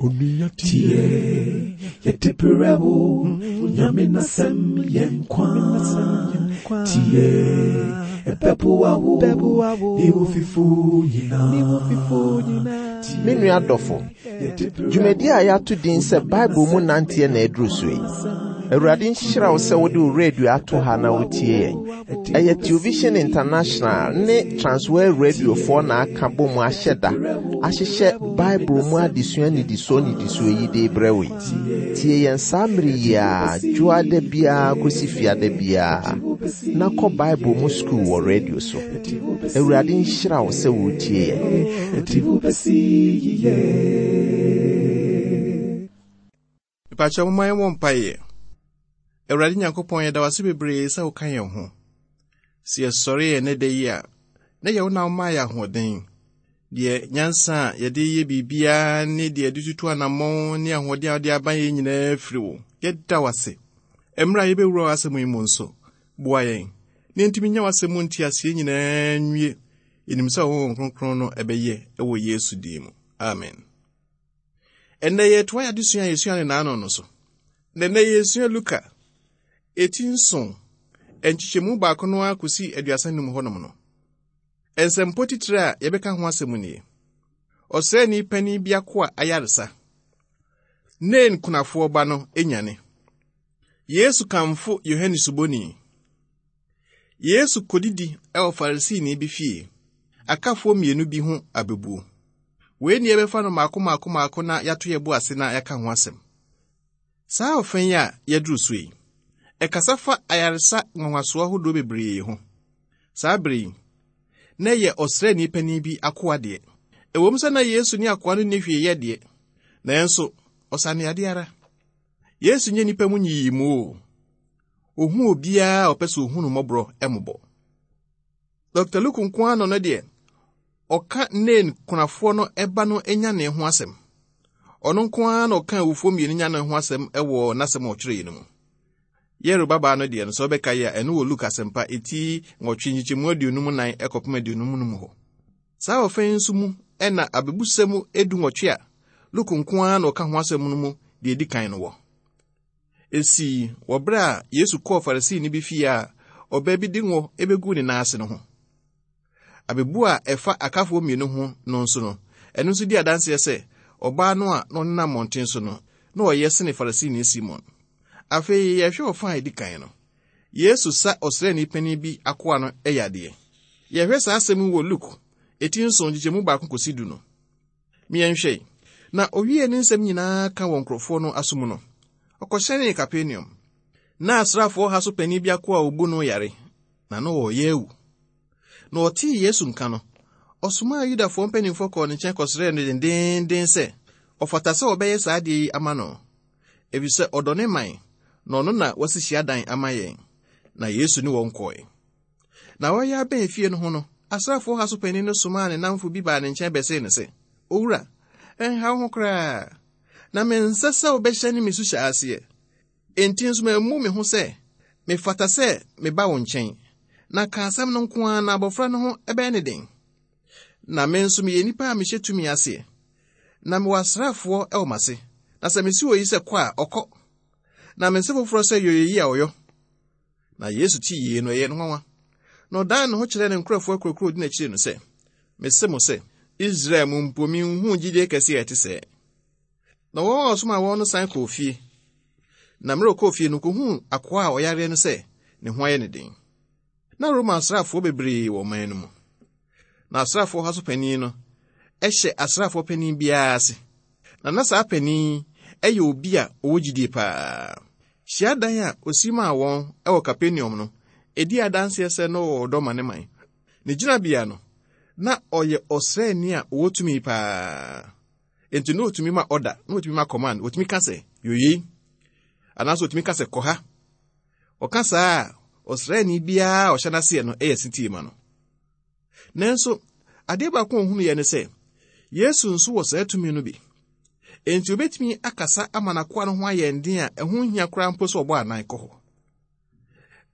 Onua tie, yɛde brɛ wo, Nyame n'asɛm yɛ nkwa. Tie, ɛbɛboa wo, ne wo fifo nyinaa. Me nua dɔfo, dwumadi a yɛato din sɛ Bible mu nanteɛ na aduru so yi. Awurade nhyira wo sɛ wode wo radio ato ha na wotie yɛn. Ɛyɛ Television International ne Transworld Radiofoɔ na aka bɔ mu ahyɛ da ahyehyɛ Bible mu adesua nnidisoɔ nnidisoɔ yi de rebrɛ wo yi. Tie yɛn saa mmere yi ara dwoada biara kɔsi fiada biara na kɔ Bible mu sukuu wɔ radio so. Awurade nhyira wo sɛ woretie yɛn. Mepakyɛ momma yɛmmɔ mpaeɛ. Awurade Nyankopɔn, yɛda wo ase bebree sɛ woka yɛn ho. Sɛ yɛsɔre yɛn ɛnɛ da yi a, na yɛ wo na womaa yɛ ahoɔden. Deɛ nyansa a yɛde yɛ biribiara ne deɛ yɛde tutu anammɔn ne ahoɔden a wode aba yɛn nyinaa firi wo. Yɛda wo ase. Mmerɛ a yɛbɛwura w'asɛm yi mu nso, boa yɛn na yɛntumi nya w'asɛm mu nteaseɛ nyinaa nwie. Yɛnim sɛ wo Honhom Kronkron no ɛbɛyɛ wɔ Yesu din mu. Amen. Ɛnnɛ yɛretoa yɛn adesua a yɛsua no naano no so. Na ɛnnɛ yɛresua Luka eti nson nkyekyɛmu baako no ara kɔsi 35 hɔnom no. Nsɛmpɔ titire a yɛbɛka ho asɛm nie. Ɔsraani panin bi akoa ayaresa. Nain kunafoɔ ba no nyane. Yesu kamfo Yohane Suboni. Yesu kodidi wɔ Farisini bi fie. Akafoɔ mmienu bi ho abebuo. Wei ne yɛbɛfa no mmaako mmaako mmaako na yɛato yɛn bo ase na yɛaka ho asɛm. Saa ɔfã yi a yɛaduru so yi, ɛkasa fa ayaresa nwanwasoɔ ahodoɔ bebree ho. Saa bere yi, na ɛyɛ ɔsraani panin bi akoa deɛ. Ɛwom sɛ na Yesu ne akoa no nni hwee yɛ deɛ, nanso ɔsa no yadeɛ ara. Yesu nyɛ nnipa mu nyiyimu o. Ohu obiara a ɔpɛ sɛ ohu no mmɔborɔ mmɔbɔ. Dr. Luke nko ara na ɔno deɛ ɔka Nain kunafoɔ no ba no nyanee ho asɛm. Ɔno nko ara na ɔka awufoɔ mmienu nyanee ho asɛm wɔ n'asɛm a ɔtwerɛeɛ no mu. Yairo babaa no deɛ no, sɛ wobɛka yi a, ɛno wɔ Luke asɛmpa eti nwɔtwe nkyekyɛmu 54 kɔpem 55 hɔ. Saa ɔfã yi nso mu na abebusɛm dunwɔtwe a Luke nko ara na ɔka ho asɛm no mu deɛ edi kan no wɔ. Esii wɔ bere a Yesu kɔɔ Farisini bi fie a ɔbaa bi de ngo beguu ne nan ase no ho. Abebu a ɛfa akafoɔ mmienu ho no nso no, ɛno nso di adanseɛ sɛ ɔbaa no a na ɔnenam mmɔnten so no, na ɔyɛ sene Farisini Simon. Afei yɛhwɛ ɔfã a edi kan no. Yesu sa ɔsraani panin bi akoa no yadeɛ. Yɛhwɛ saa asɛm yi wɔ Luke eti nson nkyekyɛmu baako kɔsi du no. Yɛnhwɛ. Na owiee ne nsɛm nyinaa ka wɔ nkurɔfoɔ no aso mu no, ɔkɔhyɛnee Kapernaum. Na asraafoɔ ha so panin bi akoa a obu no yare, na na ɔreyɛ awu. Na ɔtee Yesu nka no, ɔsomaa Yudafoɔ mpanimfoɔ kɔɔ ne nkyɛn kɔsrɛɛ no dendeenden sɛ ɔfata sɛ ɔbɛyɛ saa adeɛ yi ama no, efisɛ ɔdɔ ne man, na ɔno na wasi hyiadan ama yɛn. Na Yesu ne wɔn kɔe. Na wɔreyɛ abɛn efie no ho no, asraafoɔ ha so panin no somaa ne nnamfo bi baa ne nkyɛn bɛsee no sɛ, Owura, ɛnha wo ho koraa, na mensɛ sɛ wobɛhyɛne me suhyɛ aseɛ. Enti nso mammu me ho sɛ mefata sɛ meba wo nkyɛn, na ka asɛm no nko ara na abɔfra no ho bɛyɛ no den. Na me nso meyɛ nipa a mehyɛ tumi aseɛ, na mewɔ asraafoɔ wɔ m'ase, na sɛ mese oyi sɛ kɔ a, ɔkɔ, na mese foforɔ sɛ yɔ eyi a, ɔyɔ. Na Yesu tee yei no, ɛyɛɛ no nwanwa. Na ɔdan ne ho kyerɛɛ ne nkurɔfoɔ akuakuo a ɔdi n'akyiri no sɛ, Mese mo sɛ, Israel mu mpo menhuu gyidie kɛseɛ a ɛte sɛɛ. Na wɔn a ɔsomaa wɔn no san kɔɔ fie. Na mmerɛ ɔkɔɔ fie no, ɔkɔhuu akoa a ɔyareɛ no sɛ ne ho ayɛ no den. Na Roma asraafoɔ bebree wɔ ɔman no mu. Na asraafoɔ ha so panin no hyɛ asraafoɔ panin biara ase. Na na saa panin yi yɛ obi a ɔwɔ gyidie paa. Hyiadan a ɔsi maa wɔn wɔ Kapernaum no, ɛdi adanseɛ sɛ na ɔwɔ ɔdɔ ma ne man. Ne gyinabea no, na ɔyɛ ɔsraani a ɔwɔ tumi paa. Enti na ɔtumi ma ɔda, na ɔtumi ma command, ɔtumi ka sɛ, yɔ yei, anaasɛ ɔtumi ka sɛ, kɔ ha. Ɔka saa a, ɔsraani biara a ɔhyɛ n'aseɛ no yɛ setie ma no. Nanso, adeɛ baako a ɔhunuiɛ ne sɛ, Yesu nso wɔ saa tumi no bi. Enti obetumi akasa ama n'akoa no ho ayɛ den a ɛho nhia koraa mpo sɛ ɔbɔ anan kɔ hɔ.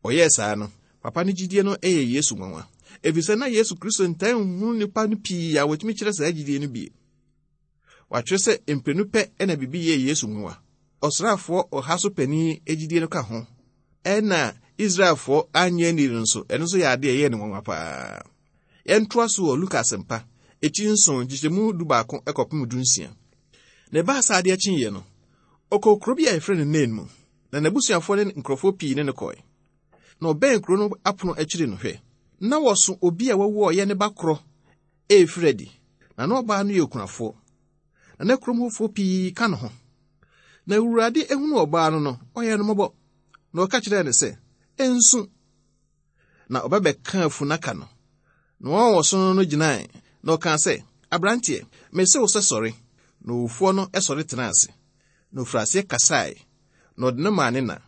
Ɔyɛɛ saa no, papa no gyidie no yɛ Yesu nwanwa, efisɛ na Yesu Kristo ntaa nhunu nnipa no pii a wɔtumi kyerɛ saa gyidie no bi. Wɔatwerɛ sɛ mprenu pɛ na biribi yɛɛ Yesu nwanwa. Ɔsraafoɔ ɔha so panin gyidie no ka ho. Ɛna Israelfoɔ anyɛ anni no nso, ɛno nso yɛ adeɛ ɛyɛɛ no nwanwa paa. Yɛntoa so wɔ Luka Asɛmpa, eti nson, nkyekyɛmu dubaako kɔpem dunsia. Na ɛbaa sɛ adeɛ kyeeɛ no, ɔkɔɔ kuro bi a yɛfrɛ no Nain mu, na n'abusuafoɔ ne nkurɔfoɔ pii ne no kɔe. Na ɔbɛn kuro no apono akyiri no, hwɛ, na wɔso obi a wawu a ɔyɛ ne ba korɔ refiri adi, na na ɔbaa no yɛ okunafoɔ, na na kurom hɔfoɔ pii ka ne ho. Na Awurade ehunu ɔbaa no no, ɔyɛɛ no mmɔbɔ, na ɔka kyerɛɛ no sɛ, Nsu. Na ɔbɛbɛkaa funnaka no, na wɔn a wɔso no no gyinae, na ɔkaa sɛ, Aberanteɛ, mese wo sɛ sɔre. Na owufoɔ no sɔre tenaa ase, na ɔfirii aseɛ kasae, na ɔde no maa ne na.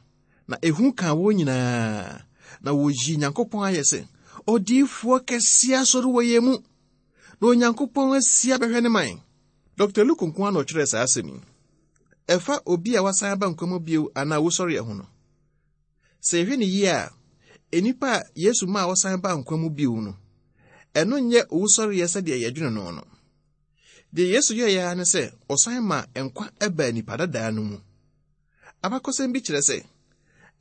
Na ehu kaa wɔn nyinaa, na wɔyii Nyankopɔn ayɛ sɛ, Odiyifoɔ kɛseɛ asɔre wɔ yɛn mu, na Onyankopɔn asi abɛhwɛ ne man. Dɔkta Luke nko ara na ɔtwerɛɛ saa asɛm yi. Ɛfa obi a wasan aba nkwa mu bio anaa owusɔreɛ ho no, Sɛ yɛhwɛ no yie a, nnipa a Yesu maa wɔsan baa nkwa mu bio no, ɛno nyɛ owusɔreɛ sɛdeɛ yɛdwene no no. Deɛ Yesu yɛeɛ ara ne sɛ ɔsan maa nkwa baa nipa dadaa no mu. Abakɔsɛm bi kyerɛ sɛ,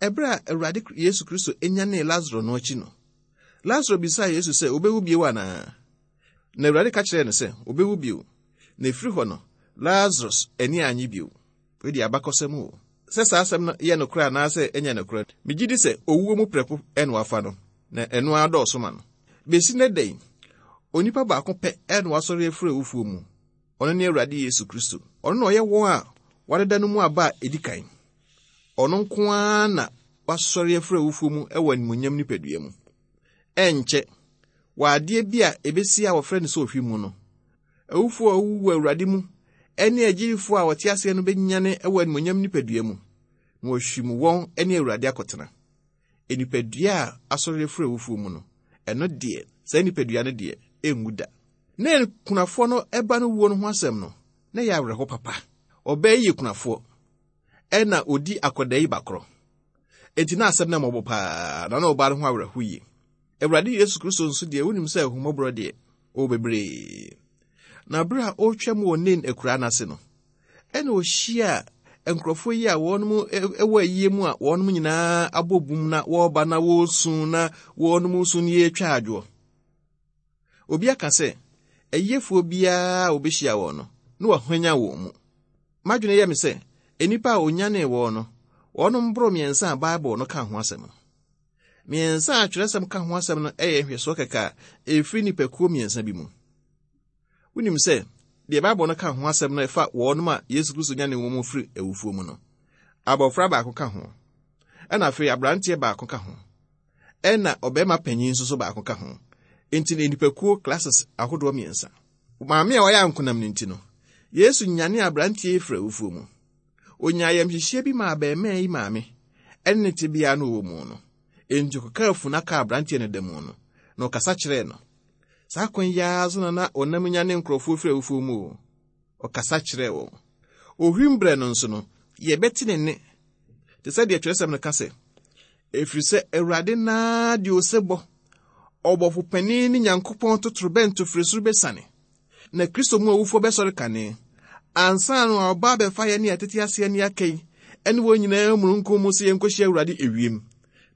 ɛberɛ a Awurade Yesu Kristo nyanee Lasaro no akyi no, Lasaro bisaa Yesu sɛ ɔbɛwu bio anaa? Na Awurade ka kyerɛɛ no sɛ ɔbɛwu bio. Na ɛfiri hɔ no, Lazarus ani annye bio. Wei deɛ abakɔsɛm o. Sɛ saa asɛm no yɛ nokorɛ anaasɛ ɛnyɛ nokorɛ, megye di sɛ owuo mu prɛko na wafa no, na ɛno ara dɔɔso ma no. Bɛsi nnɛ da yi, onipa baako pɛ na wasɔre afiri awufoɔ mu. Ɔno ne Awurade Yesu Kristo. Ɔno na ɔyɛ wɔn a wɔadeda no mu aba a ɛdi kan. Ɔno nko ara na wasɔre afiri awufoɔ mu wɔ animuonyam nipadua mu. Ɛnkyɛ, wɔ adeɛ bi a ɛbɛsi a wɔfrɛ no sɛ ohwim mu no, Awufo a wɔawuwu wɔ Awurade mu ne agyidifo a wɔte aseɛ no bɛnyane wɔ animuonyam nipadua mu, na wɔahwim wɔn ne Awurade akɔtena. Nipadua a asɔre afiri awufoɔ mu no, ɛno deɛ, saa nipadua no deɛ, ɛnwu da. Na kunafoɔ no ba no wuo no ho asɛm no, na ɛyɛ awerɛho papa. Ɔbaa yi yɛ kunafoɔ, ɛna ɔdi akwadaa yi bakorɔ. Enti na asɛm no mmɔbɔ paa, na na ɔbaa no ho awerɛho yie. Awurade Yesu Kristo nso deɛ, wonim sɛ ahummɔborɔ deɛ, ɔwɔ bebree. Na berɛ a ɔretwam wɔ Nain akuraa no ase no, ɛna ɔhyiaa nkurɔfoɔ yi a wɔn wɔ ayie mu a wɔn nyinaa abɔ bum na wɔreba na wɔresu na wɔn su no yɛretwa adwoɔ. Obi aka sɛ, ayiefoɔ biara a wɔbɛhyia wɔn no, na wahwanyan wɔn mu. M'adwene yɛ me sɛ, nnipa a ɔnyanee wɔn no, wɔnom boro mmiɛnsa a Bible no ka ho asɛm no. Mmiɛnsa a twerɛsɛm ka ho asɛm no yɛ nhwɛsoɔ kɛkɛ a ɛfiri nnipakuo mmiɛnsa bi mu. Wonim sɛ, deɛ Bible no ka ho asɛm no ɛfa wɔnom a Yesu Kristo nyanee wɔn mu firi awufoɔ mu no, abɔfra baako ka ho, ɛna afei aberanteɛ baako ka ho, ɛna ɔbarima panyin nso so baako ka ho. Enti no nnipakuo classes ahodoɔ mmiɛnsa. Maame a ɔyɛ ankonam no nti no, Yesu nyanee aberanteɛ yi firi awufoɔ mu. Onyaa ayamhyehyeɛ bi maa abarimaa yi maame ne ne tebea no ɔwɔ mu no. Enti ɔkɔkaa funnaka a aberanteɛ no da mu no, na ɔkasa kyerɛɛ no. Saa kwan yi ara so na na ɔnam nyane nkurɔfoɔ firi awufoɔ mu o. Ɔkasa kyerɛɛ wɔn. Ohwim berɛ no nso no, yɛbɛte ne nne te sɛ deɛ twerɛsɛm no ka sɛ, Ɛfiri sɛ Awurade no ara de osebɔ, ɔbɔfo panin ne Nyankopɔn totorobɛnto firi soro bɛsiane, na Kristo mu awufoɔ bɛsɔre kane, ansa na ɔba abɛfa yɛn ne yɛtete aseɛ ne aka yi ne wɔn nyinaa mununkum mu sɛ yɛnkɔhyia Awurade ewiem.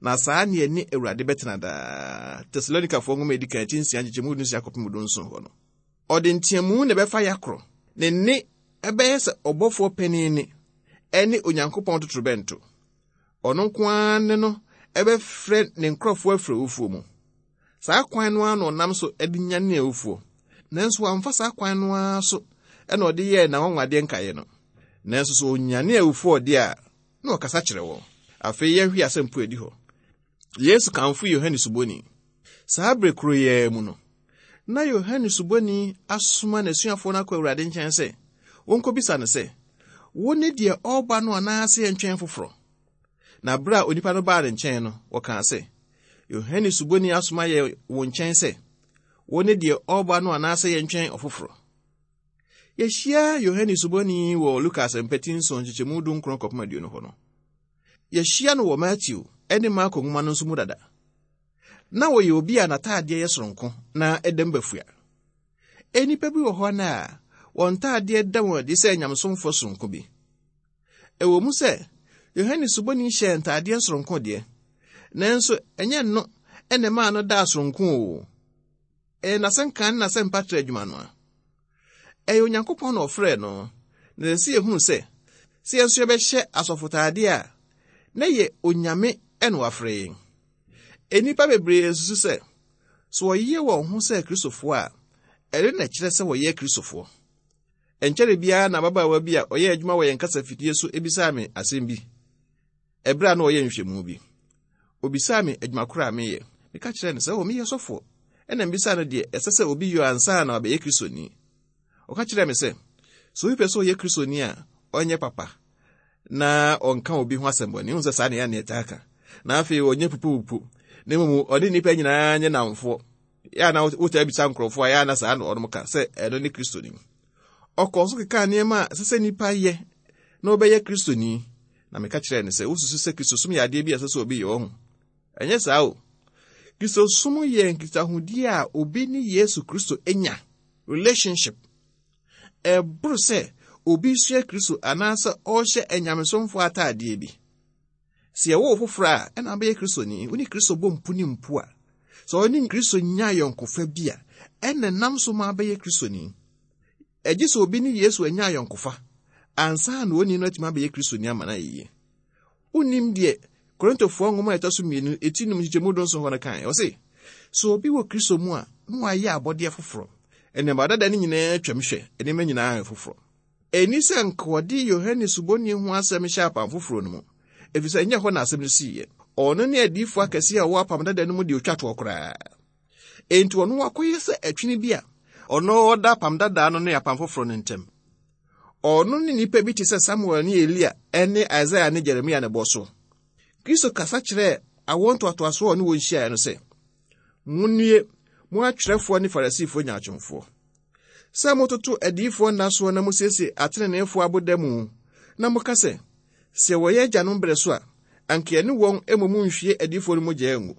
Na saa ne yɛne Awurade bɛtena daa. Tesalonikafoɔ nwoma edi kan ti nsia nkyekyɛmu dunsia kɔpem dunson hɔ no. Ɔde nteamu na ɛbɛfa yɛakorɔ. Ne nne ɛbɛyɛ sɛ ɔbɔfoɔ panin nne ɛne Onyankopɔn totorobɛnto. Ɔno nko ara ne no ɛbɛfrɛ ne nkurɔfoɔ afiri awufoɔ mu. Saa kwan no ara na ɔnam so de nyanee awufoɔ. Nanso wamfa saa kwan no ara so na ɔde yɛɛ n'anwanwadeɛ nkaeɛ no. Nanso sɛ ɔnyane awufoɔ deɛ a, na ɔkasa kyerɛ wɔn. Afei yɛnhwɛ asɛmpo a ɛdi hɔ. Yesu kamfo Yohane Suboni. Saa bere koro yi ara mu no, na Yohane Suboni asoma n'asuafoɔ no akɔ Awurade nkyɛn sɛ wɔnkɔbisa no sɛ, Wone deɛ ɔreba no anaasɛ yɛntwɛn foforɔ? Na bere a onipa no baa ne nkyɛn no, wɔkaa sɛ, Yohane Suboni asoma yɛn wo nkyɛn sɛ, Wone deɛ ɔreba no anaasɛ yɛntwɛn ɔfoforɔ? Yɛhyia Yohane Suboni wɔ Luka Asɛmpa ti nson nkyekyɛmu dunkron kɔpem aduonu hɔ no. Yɛhyia no wɔ Mateo ne Marko nwoma no nso mu dada. Na ɔyɛ obi a n'ataadeɛ yɛ soronko na ɛdam bafua. Nnipa bi wɔ hɔ no a, Wɔn ntaadeɛ da wɔn adi sɛ nyamesomfoɔ soronko bi. Ɛwɔ mu sɛ Yohane Suboni hyɛɛ ntaadeɛ soronko deɛ, nanso ɛnyɛ no na ɛmaa no daa soronko o. Ɛyɛ n'asɛnka ne n'asɛmpatrɛ adwuma no a. Ɛyɛ Onyankopɔn na ɔfrɛɛ no, na ɛsɛ sɛ yɛhunu sɛ, sɛ yɛn nso yɛbɛhyɛ asɔfotaadeɛ a, na ɛyɛ Onyame na wafrɛ yɛn. Nnipa bebree susu sɛ, sɛ wɔyɛ wɔn ho sɛ Kristofoɔ a, ɛno na ɛkyerɛ sɛ wɔyɛ Kristofoɔ. Ɛnkyɛre biara na ababaawa bi a ɔyɛ adwuma wɔ yɛn kasafidie so bisaa me asɛm bi ɛberɛ a na ɔyɛ nhwɛmu bi. Obisaa me adwuma koro a meyɛ. Meka kyerɛɛ no sɛ, "O, meyɛ sɔfoɔ." Ɛnna mebisaa no deɛ ɛsɛ sɛ obi yɔ ansa na wabɛyɛ Kristoni. Ɔka kyerɛɛ me sɛ, sɛ obi pɛ sɛ ɔyɛ Kristoni a, ɔnyɛ papa na ɔnka obi ho asɛmmɔne. Wohu sɛ saa na ɛyɛ a na yɛtaa ka. Na afei ɔnyɛ pupupupu, na mmom ɔne nnipa nyinaa nyɛ nnamfoɔ. Yɛ a na wotaa bisa nkurɔfoɔ a, yɛ a na saa na wɔnom ka sɛ ɛno ne Kristoni. Ɔkɔɔ so kekaa nneɛma a ɛsɛ sɛ nnipa yɛ na wɔbɛyɛ Kristoni. Na meka kyerɛɛ no sɛ, wosusu sɛ Kristosom yɛ adeɛ bi a ɛsɛ sɛ obi yɛ ɔho. Ɛnyɛ saa o. Kristosom yɛ nkitahodie a obi ne Yesu Kristo nya, relationship. Ɛboro sɛ obi sua Kristo anaasɛ ɔrehyɛ anyamesomfoɔ ataadeɛ bi. Sɛ yɛwo wo foforɔ a, ɛna wobɛyɛ Kristoni. Wo ne Kristo bɔ mpu ne mpu a, sɛ ɔne Kristo nya ayɔnkofa bi a, ɛna nam so ma abɛyɛ Kristoni. Ɛgye sɛ obi ne Yesu anya ayɔnkofa ansa na onii no atumi abɛyɛ Kristoni ama no ayɛ yie. Wonnim deɛ Korintofoɔ nwoma a ɛtɔ so mmienu, eti num nkyekyɛmu dunson hɔ no kae. Ɔse, sɛ obi wɔ Kristo mu a, na wayɛ abɔdeɛ foforɔ. Nneɛma dada no nyinaa atwam hwɛ, nneɛma nyinaa ayɛ foforɔ. Ɛnni sɛ anka wɔde Yohane Suboni ho asɛm hyɛ Apam Foforo no mu, efisɛ ɛnyɛ hɔ na asɛm no siiɛ. Ɔno ne adiyifo akɛse a wɔwɔ Apam Dada no mu deɛ otwa toɔ koraa. Enti ɔno akɔyɛ sɛ ɛtwene bi a ɔno ɔda Apam Dada no ne Apam Foforo no ntam. Ɔno ne nnipa bi te sɛ Samuel ne Elia ne Isaia ne Jeremia na ɛbɔ so. Kristo kasa kyerɛɛ awoɔ ntoatoasoɔ a ɔne wɔn hyiaeɛ no sɛ, Monnue, mo atwerɛfoɔ ne Farisifoɔ nyaatwomfoɔ! Sɛ mototo adiyifoɔ nna soɔ na mosiesie ateneneefoɔ aboda mu, na moka sɛ, 'Sɛ wɔ yɛn agyanom berɛ so a, anka yɛne wɔn mmom nhwie adiyifoɔ no mogya ngu.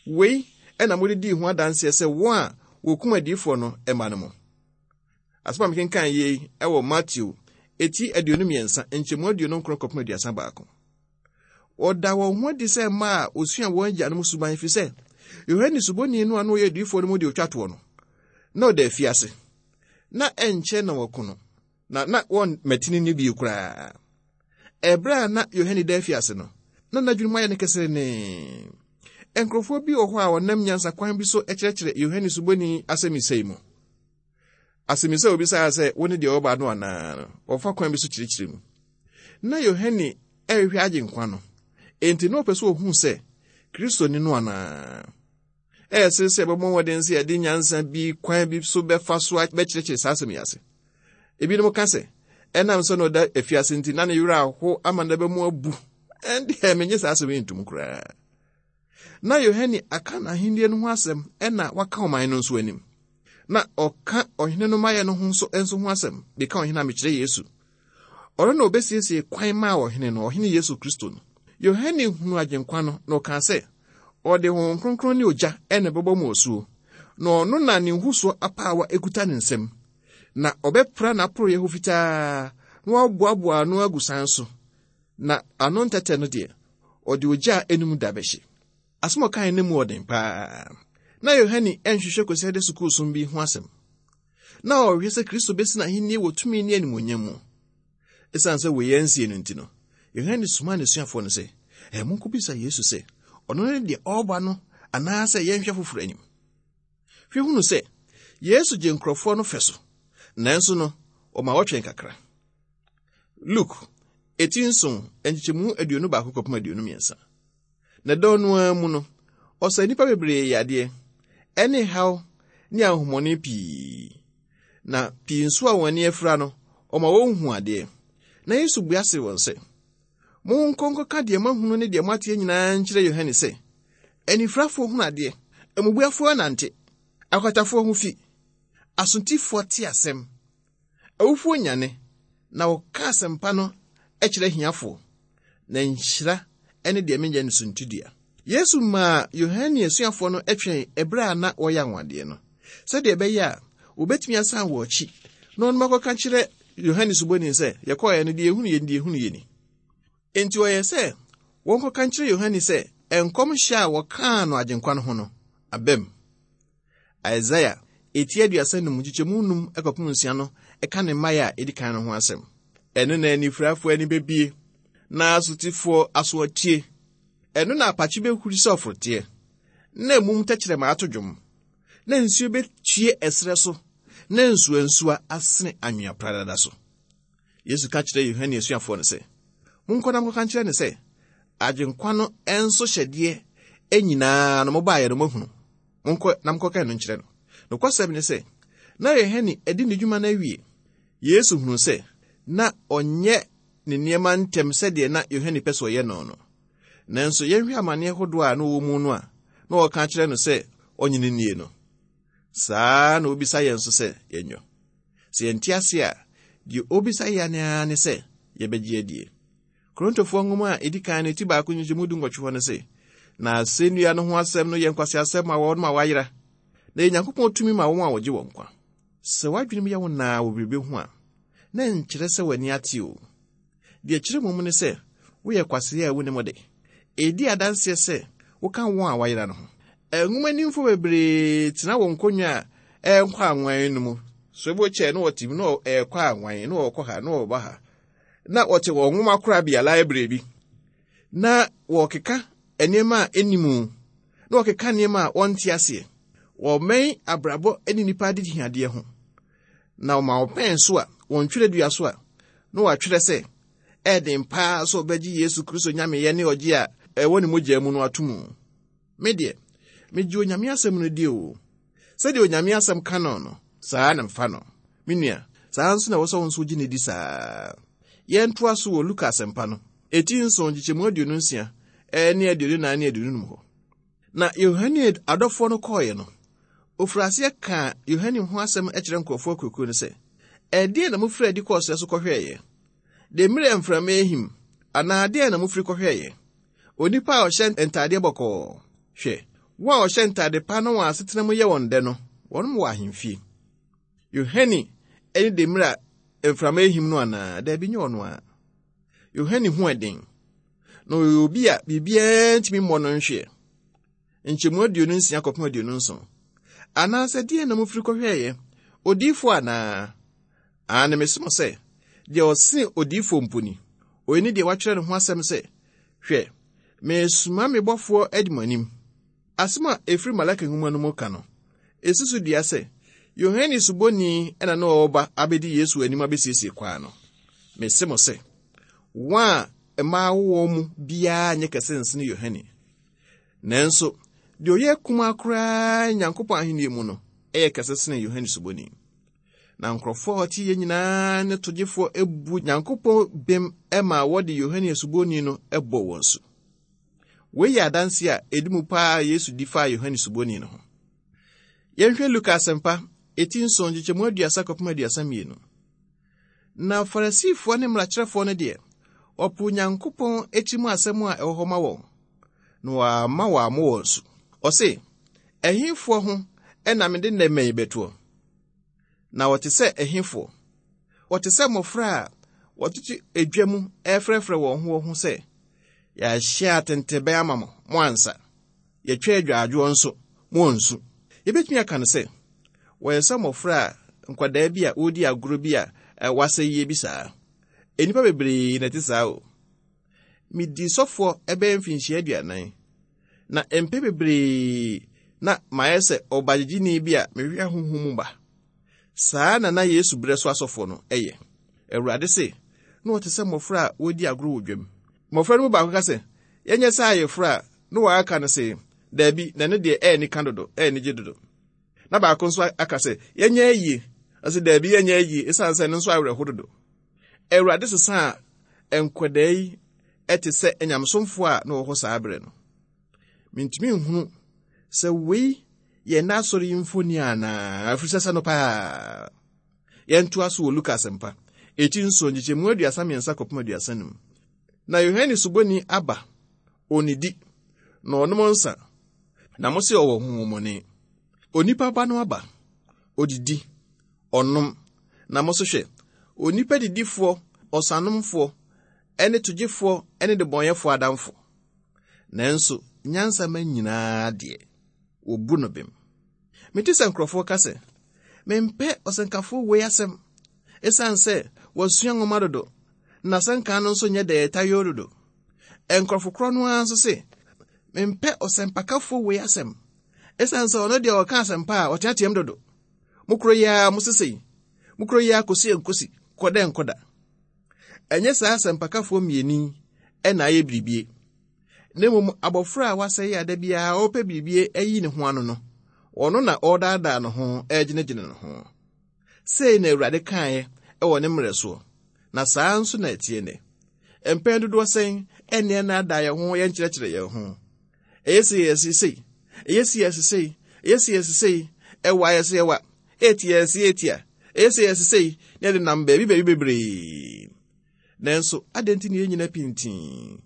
Wei na mode dii ho adanseɛ sɛ wɔn a wɔkum adiyifoɔ no mma no mo. Asɛm a mekenkan yei wɔ Mateo eti 23 nkyɛmu 29 kɔpem 31. Wɔda wɔn ho adi sɛ mma a wɔsua wɔn agyanom suban ɛfiri sɛ Yohane Suboni no a na ɔyɛ adiyifoɔ no mu deɛ ɔtwa toɔ no, na ɔda afiase. Na ɛnkyɛ na wɔko no, na na wɔmmatini no bio koraa. Ɛberɛ a na Yohane da afiase no, na n'adwene mu ayɛ no keserenee. Nkurɔfoɔ bi wɔ hɔ a wɔnam nyansa kwan bi so kyerɛkyerɛ Yohane Suboni asɛmmisa yi mu. Asɛmmisa a obisaa sɛ, Wo ne deɛ ɔreba no anaa? no, wɔfa kwan bi so kyerɛkyerɛ mu. Na Yohane rehwɛ Agyenkwa no, enti na ɔpɛ sɛ ohu sɛ Kristo ne no anaa. Ɛyɛ sere sɛ yɛbɛbɔ mmɔden sɛ yɛde nyansa bi kwan bi so bɛfa so bɛkyerɛkyerɛ saa asɛm yi ase. Ebinom ka sɛ, ɛnam sɛ na ɔda afiase nti, na ne werɛ aho ama n'aba mu abu. Ɛndeɛ, menye saa asɛm yi ntom koraa. Na Yohane aka n'ahenni no ho asɛm na waka ɔman no nso anim. Na ɔka ɔhene no mayɛ no ho nso nso ho asɛm de ka ɔhene a mekyerɛ Yesu. Ɔno na obesiesie kwan maa ɔhene no, ɔhene Yesu Kristo no. Yohane hunu Agyenkwa no na ɔkaa sɛ, ɔde Honhom Kronkron ne ogya na ɛbɛbɔ mo asuo, na ɔno na ne nhusoɔ apaawa ekuta ne nsam, na ɔbɛpra n'aporoeɛ hɔ fitaa na waboaboa ano agu san so, na ano ntɛtɛ no deɛ, ɔde ogya a enum da bɛhye. Asɛm a ɔkae no mu ɔden paa. Na Yohane nhwehwɛ Kwasiada sukuusom bi ho asɛm. Na ɔrehwɛ sɛ Kristo besi n'ahenni wɔ tumi ne animuonyam mu. Esiane sɛ wei ansie no nti no, Yohane somaa n'asuafoɔ no sɛ, Ɛ, monkɔbisa Yesu sɛ, ɔno ne deɛ ɔreba no anaasɛ yɛnhwɛ foforɔ anim. Hwɛ hunu sɛ, Yesu gye nkurɔfoɔ no fɛ so, nanso no, ɔma wɔtwɛn kakra. Luke, eti nson, nkyekyɛmu 21 kɔpem 23. Na dɔn no ara mu no, ɔsa nnipa bebree yadeɛ, ɛne haw ne ahomɔne pii. Na pii nso a wɔn ani afira no, ɔma wɔnhu adeɛ. Na Yesu bua see wɔn sɛ, Monkɔ nkɔka deɛ moahunu ne deɛ moateɛ nyinaa nkyerɛ Yohane sɛ, anifirafoɔ hunu adeɛ, mmubuafoɔ nante, akwatafoɔ ho fi, asotifoɔ te asɛm, Awufoɔ nyane, na wɔka asɛmpa no kyerɛ ahiafoɔ, na nhyira ne deɛ menyɛ no suntidua. Yesu maa Yohane asuafoɔ no twɛn ɛberɛ a na wɔyɛ anwanwadeɛ no, sɛdeɛ ɛbɛyɛ a wɔbɛtumi asan wɔn akyi na ɔnom akɔka kyerɛ Yohane Suboni sɛ, Yɛkɔeɛ no, deɛ yɛhunu yɛ ni, deɛ yɛhunu yɛ ni. Enti ɔyɛɛ sɛ wɔnkɔka nkyerɛ Yohane sɛ nkɔmhyɛ a wɔkaa no Agyenkwa no ho no abam. Isaia eti 35 nkyekyɛmu num kɔpem nsia no ka ne mmaeɛ a edi kan no ho asɛm. Ɛno na anifurafoɔ ani bebue, na asotifoɔ aso atie. Ɛno na apakye behuri sɛ ɔforoteɛ, na emum tɛkyerɛma ato dwom, na nsuo betue ɛserɛ so, na nsuwansuwa asene anwea pradada so. Yesu ka kyerɛɛ Yohane asuafoɔ no sɛ, Monkɔ na monkɔka nkyerɛ no sɛ, Agyenkwa no nso hyɛdeɛ nyinaa no mobaeɛ no moahunu. Monkɔ na monkɔka ɛno nkyerɛ no. Nokwasɛm ne sɛ, na Yohane adi ne dwuma no awie. Yesu hunuu sɛ na ɔnyɛ ne nneɛma ntɛm sɛdeɛ na Yohane pɛ sɛ ɔyɛ no no. Nanso yɛnhwɛ amanneɛ hodoɔ a na ɔwɔ mu no a na ɔreka akyerɛ no sɛ ɔnye no nnie no. Saa ara na obisa yɛn nso sɛ yɛnyɔ. Sɛ yɛnte ase a, deɛ obisa yɛn ara ne sɛ yɛbɛgye adie. Korintofoɔ nwoma a ɛdi kan no ti baako nkyɛmu du nwɔtwe hɔ no se, Na asɛnnua no ho asɛm no yɛ nkwaseasɛm ma wɔn a wɔayera, na ɛyɛ Nyankopɔn tumi ma wɔn a wɔgye wɔn nkwa. Sɛ w'adwenem yɛ wo naa wɔ biribi ho a, na ɛnkyerɛ sɛ w'ani ate o. Deɛ ɛkyerɛ mmom ne sɛ woyɛ kwasea a wunnim de. Edi adanseɛ sɛ woka wɔn a wɔayera no ho. Nwomanimfoɔ bebree tena wɔn nkonnwa a ɛrekɔ anwan no mu. Swivel chair na wɔte mu na ɛrekɔ anwan na wɔrekɔ ha na wɔreba ha. Na wɔte wɔn nwoma korabea library bi na wɔrekeka nneɛma a ɛnni mu na wɔkeka nneɛma a wɔnte aseɛ. Wɔmmɛn abrabɔ ne nnipa adehiadeɛ ho. Na wɔma wɔpɛn so a, wɔn twerɛdua so a, na wɔatwerɛ sɛ, ɛyɛ den paa sɛ wɔbɛgye Yesu Kristo nyameyɛ ne ɔgye a ɛwɔ ne mogya mu no ato mu. Me deɛ, megye Onyame asɛm no di o. Sɛdeɛ Onyame asɛm ka no no, saa na mefa no. Me nua, saa nso na ɛwɔ sɛ wo nso wogye no di saa. Yɛntoa so wɔ Luka asɛmpa no, eti nson, nkyekyɛmu 26 ne 24 ne 25 hɔ. Na Yohane adɔfoɔ no kɔeɛ no, ɔfirii aseɛ kaa Yohane ho asɛm kyerɛ nkurɔfoɔ akuakuo no sɛ, Ɛdeɛn na mofiri adi kɔɔ serɛ so kɔhwɛeɛ? Demmire a mframa rehim, anaa deɛn na mofiri kɔhwɛeɛ? Onipa a ɔhyɛ ntadeɛ bɔkɔɔ? Hwɛ, wɔn a wɔhyɛ ntade pa na wɔn asetena mu yɛ wɔn dɛ no, wɔnom wɔ ahemfie. Yohane ne demmire a mframa rehim no anaa? Daabi, nyɛ ɔno ara. Yohane ho ɛden, na ɔyɛ obi a biribiara ntumi mmɔ no nhweɛ. Nkyɛmu 26 kɔpem 27. Anaasɛ deɛn na mofiri kɔhwɛeɛ? Odiyifoɔ anaa? Aane, mese mo sɛ, deɛ ɔsene odiyifoɔ mpo ni. Oyi ne deɛ wɔatwerɛ ne ho asɛm sɛ, Hwɛ, meresoma me bɔfoɔ adi mo anim. Asɛm a ɛfiri Malaki nwoma no mu ka no, ɛsi so dua sɛ Yohane Suboni na na ɔreba abɛdi Yesu anim abɛsiesie kwan no. Mese mo sɛ, wɔn a mmaa awo wɔn mu biara nyɛ kɛse nsene Yohane. Nanso, deɛ ɔyɛ akumaa koraa Nyankopɔn ahenni mu no yɛ kɛse sene Yohane Suboni. Na nkurɔfoɔ a wɔte yɛ nyinaa ne togyefoɔ bu Nyankopɔn bem ma wɔde Yohane Suboni no bɔ wɔn su. Wei yɛ adanse a ɛdi mu paa a Yesu di faa Yohane Suboni no ho. Yɛnhwɛ Luka Asɛmpa, eti nson, nkyekyɛmu 30 kɔpem 32. Na Farisifoɔ ne mmarakyerɛfoɔ no deɛ, wɔpoo Nyankopɔn akyi mu asɛm a ɛwɔ hɔ ma wɔn, na wɔamma wɔammo wɔn su. Ɔse, Ɛhefoɔ ho na mede nnɛ mma yi bɛtoɔ? Na wɔte sɛ ɛhefoɔ? Wɔte sɛ mmɔfra a wɔtete edwa mu refrɛfrɛ wɔn ho wɔn ho sɛ, Yɛahyɛ atentebɛn ama mo, moansa. Yɛatwa adwaadwoɔ nso, moansu. Yɛbɛtumi aka no sɛ, wɔyɛ sɛ mmɔfra a nkwadaa bi a wɔredi agorɔ bi a wɔasɛ yie bi saa. Nnipa bebree na ɛte saa o. Medii sɔfoɔ ɛbɛyɛ mfinhyia 40, na mpɛ bebree na mayɛ sɛ ɔbagyegyeni bi a mehwehwɛ honhom mu ba. Saa na na Yesu berɛ so asɔfoɔ no yɛ. Awurade se, na wɔte sɛ mmɔfra a wɔredi agorɔ wɔ dwam. Mmɔfra no mu baako ka sɛ, Yɛnyɛ sɛ ayeforɔ a, na wɔaka no se, Daabi, na ɛno deɛ ɛyɛ anika dodo, ɛyɛ anigye dodo. Na baako nso aka sɛ, Yɛnyɛ ayie. Ɔse, Daabi, yɛnyɛ ayie, ɛsiane sɛ ɛno nso awerɛho dodo. Awurade sesaa nkwadaa yi te sɛ anyamesomfoɔ a na wɔwɔ hɔ saa berɛ no. Mentumi nhunu sɛ wei yɛ n'asɔre yi mfoni anaa, ɛfiri sɛ sɛ no paa. Yɛntoa so wɔ Luka Asɛmpa, eti nson, nkyekyɛmu 33 kɔpem 35. Na Yohane Suboni aba, onnidi, na ɔnom nsa, na mo se ɔwɔ honhommɔne. Onipa Ba no aba, odidi, ɔnom, Na mo nso hwɛ, onipa didifoɔ, ɔsanomfoɔ, ne togyefoɔ ne debɔnyɛfoɔ adamfo. Nanso nyansa ma nyinaa deɛ, wɔbu no bem. Mete sɛ nkurɔfoɔ ka sɛ, Mempɛ ɔsɛnkafoɔ wei asɛm, ɛsiane sɛ wasua nwoma dodo, na n'asɛnka no nso nyɛ dɛ tayoo dodo. Nkurɔfo korɔ no ara nso se, Mempɛ ɔsɛmpakafoɔ wei asɛm, ɛsiane sɛ ɔno deɛ ɔka asɛmpa a ɔteateam dodo. Mo koro yi ara mo sesei, mo koro yi ara kɔsi nkosi, kɔ dɛ nkɔ da. Ɛnyɛ saa asɛmpakafoɔ mmieni yi na ayɛ biribie, na mmom abɔfra a wasɛe a da biara ɔrepɛ biribie ayi ne ho ano no, ɔno na ɔredaadaa ne ho regyinagyina ne ho. Sei na Awurade kaeɛ wɔ ne mmerɛ soɔ, na saa nso na ɛteɛ nnɛ. Mpɛn dodoɔ sɛn ɛne ɛnaadaa yɛn ho yɛnkyerɛkyerɛ yɛn ho. Ɛyɛ sei yɛ sei, ɛyɛ sei yɛ sei, ɛyɛ sei yɛ sei, ɛwa yɛ sɛ ɛwa, ɛtia yɛ sɛ ɛtia, ɛyɛ sei yɛ sei, na yɛde nam baabi baabi bebree. Nanso, adɛn nti na yɛnnyina pintinn,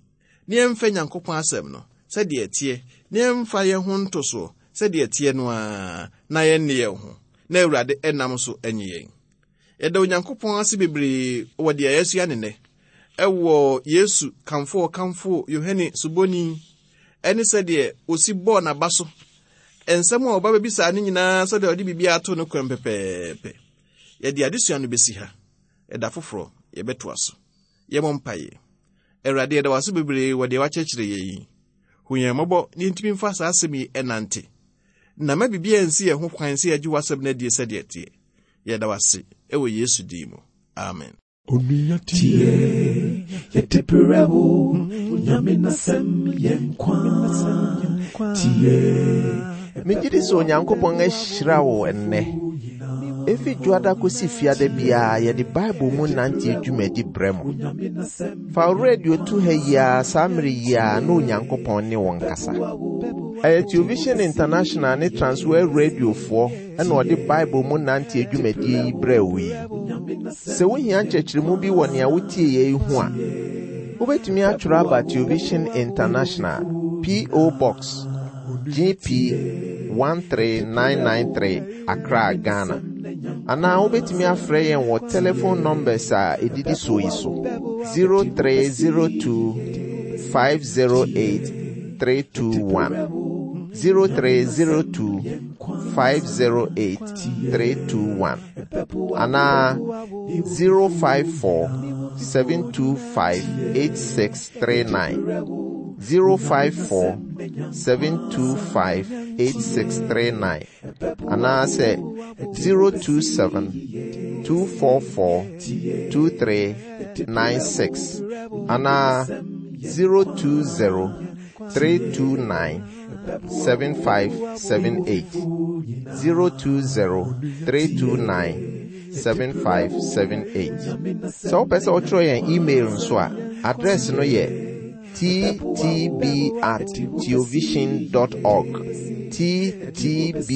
na yɛmfa Nyankopɔn asɛm no sɛdeɛ ɛteɛ, na yɛmfa yɛn ho nto soɔ sɛdeɛ ɛteɛ no ara, na yɛnne yɛn ho, na Awurade nam so nye yɛn? Yɛda Onyankopɔn ase bebree wɔ deɛ yɛasua ne nnɛ ɛwɔ Yesu kamfo a ɔkamfo Yohane Suboni ɛne sɛdeɛ ɔsi bɔɔ n'aba so nsɛm a ɔba bɛbisaa no nyinaa sɛdeɛ ɔde biribiara ato no kwan pɛpɛɛpɛ. Yɛde adesua no bɛsi ha. Ɛda foforɔ yɛbɛtoa so. Yɛmmɔ mpaeɛ. Awurade, yɛda wo ase bebree wɔ deɛ wakyerɛkyerɛ yɛn yi. Hu yɛn mmɔbɔ na yɛntumi mfa saa asɛm yi ɛnante. Na ma biribiara nsi yɛn ho kwan sɛ yɛgye w'asɛm no adie sɛdeɛ ɛteɛ. Yɛda wo ase wɔ Yesu din mu. Amen. Onua tie, yɛde brɛ wo, Onyame n'asɛm yɛ nkwa. Tie. Megye di sɛ Onyankopɔn ahyira wo ɛnnɛ. Efi Dwoada kosi Fiada biara yɛde Bible mu nanteɛ dwumadi brɛ mo. Fa wo radio to ha yi ara saa mmere yi ara na Onyankopɔn ne wo nkasa. Ɛyɛ Television International ne Transworld Radiofoɔ na ɔde Bible mu nanteɛ dwumadie yi brɛɛ wo yi. Sɛ wohia nkyerɛkyerɛmu bi wɔ nea wotieeɛ yi ho a, wobɛtumi atwerɛ aba Television International, P.O. Box, GP 13993, Accra, Ghana. Anaa wobɛtumi afrɛ yɛn wɔ telephone numbers a ɛdidi soɔ yi so 0302 508 321 0302 508 321 anaa 054 725 8639 054 725 8639 anaasɛ 027 244 2396 anaa 020 329 7578 020 329 7578. Sɛ wopɛ sɛ wotwerɛ yɛn email nso a, address no yɛ ttb at theovision dot org ttb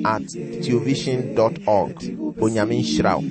at theovision dot org. Onyame nhyira wo.